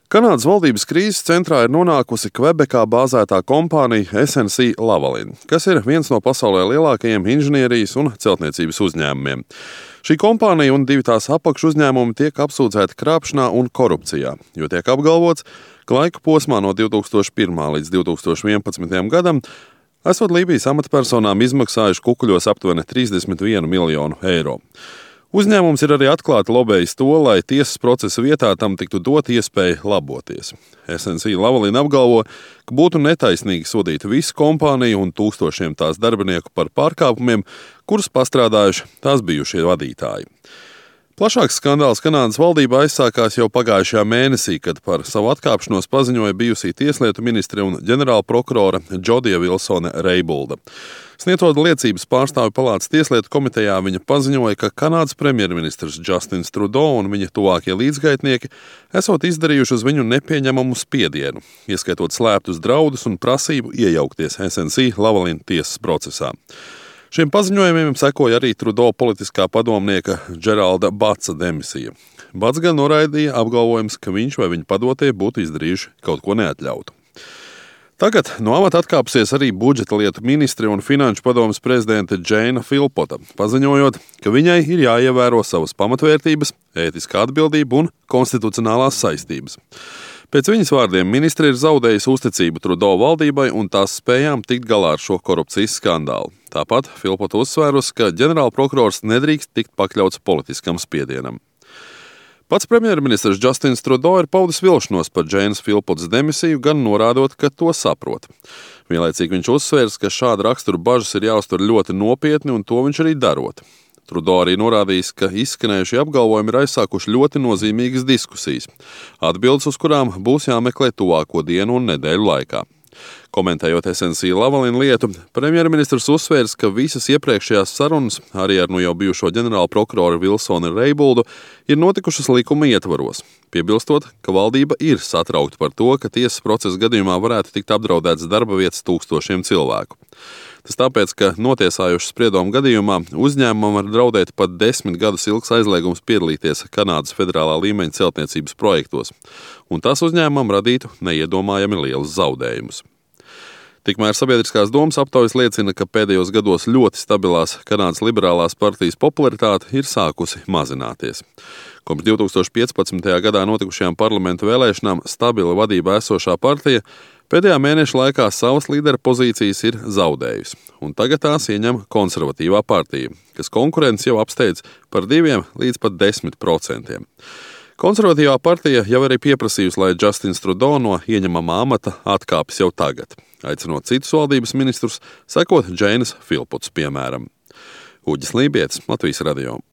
Kanādas valdības krīzes centrā ir nonākusi Kvebekā bāzētā kompānija SNC-Lavalin, kas ir viens no pasaulē lielākajiem inženierijas un celtniecības uzņēmumiem. Šī kompānija un divi tās apakšuzņēmumi tiek apsūdzēti krāpšanā un korupcijā, jo tiek apgalvots, ka laika posmā no 2001. līdz 2011. gadam esot Lībijas amatpersonām izmaksājuši kukuļos aptuveni 31 miljonu eiro. Uzņēmums ir arī atklāti lobējis to, lai tiesas procesa vietā tam tiktu dot iespēja laboties. SNC-Lavalin apgalvo, ka būtu netaisnīgi sodīt visu kompāniju un tūkstošiem tās darbinieku par pārkāpumiem, kurus pastrādājuši tās bijušie vadītāji. Plašāks skandāls Kanādas valdībā aizsākās jau pagājušajā mēnesī, kad par savu atkāpšanos paziņoja bijusī tieslietu ministre un ģenerāla prokurore Džodija Vilsone Reibulda. Sniedzot liecības pārstāvju palātas tieslietu komitejā, viņa paziņoja, ka Kanādas premjerministrs Justins Trudeau un viņa tuvākie līdzgaitnieki esot izdarījuši uz viņu nepieņemamu spiedienu, ieskaitot slēptus draudus un prasību iejaukties SNC-Lavalin tiesas procesā. Šiem paziņojumiem sekoja arī Trudeau politiskā padomnieka Džeralda Batsa demisija. Bats gan noraidīja apgalvojums, ka viņš vai viņa padotie būtu izdarījuši kaut ko neatļautu. Tagad no amata atkāpusies arī budžeta lietu ministre un finanšu padomes prezidente Džeina Filpota, paziņojot, ka viņai ir jāievēro savas pamatvērtības, ētiskā atbildība un konstitucionālās saistības. Pēc viņas vārdiem ministre ir zaudējusi uzticību Trudeau valdībai un tās spējām tikt galā ar šo korupcijas skandālu. Tāpat Filpota uzsvērusi, ka ģenerālprokurors nedrīkst tikt pakļauts politiskam spiedienam. Pats premjerministrs Justins Trudeau ir paudis vilšanos par Džeinas Filpotas demisiju, gan norādot, ka to saprot. Vienlaicīgi viņš uzsvērs, ka šāda rakstura bažas ir jāuztver ļoti nopietni un to viņš arī darot. Trudeau arī norādījis, ka izskanējušie apgalvojumi ir aizsākuši ļoti nozīmīgas diskusijas, atbildes uz kurām būs jāmeklē tuvāko dienu un nedēļu laikā. Komentējot SNC-Lavalin lietu, premjerministrs uzsvērs, ka visas iepriekšējās sarunas, arī ar jau bijušo ģenerāla prokuroru Vilsoni Reibuldu, ir notikušas likuma ietvaros, piebilstot, ka valdība ir satraukta par to, ka tiesas procesa gadījumā varētu tikt apdraudētas darba vietas tūkstošiem cilvēku. Tas tāpēc, ka notiesājušas spriedumu gadījumā uzņēmumam var draudēt pat 10 gadus ilgs aizliegums piedalīties Kanādas federālā līmeņa celtniecības projektos, un tas uzņēmumam radītu neiedomājami lielus zaudējumus. Tikmēr sabiedriskās domas aptaujas liecina, ka pēdējos gados ļoti stabilās Kanādas liberālās partijas popularitāte ir sākusi mazināties. Kopš 2015. gadā notikušajām parlamentu vēlēšanām stabila vadībā esošā partija pēdējā mēneša laikā savas līdera pozīcijas ir zaudējusi, un tagad tās ieņem konservatīvā partija, kas konkurenci jau apsteidz par 2 līdz pat 10%. Konservatīvā partija jau arī pieprasījusi, lai Justins Trudeau no ieņemamā amata atkāpjas jau tagad, aicinot citus valdības ministrus sekot Džeinas Filpotas piemēram. Uģis Lībietis, Latvijas radio.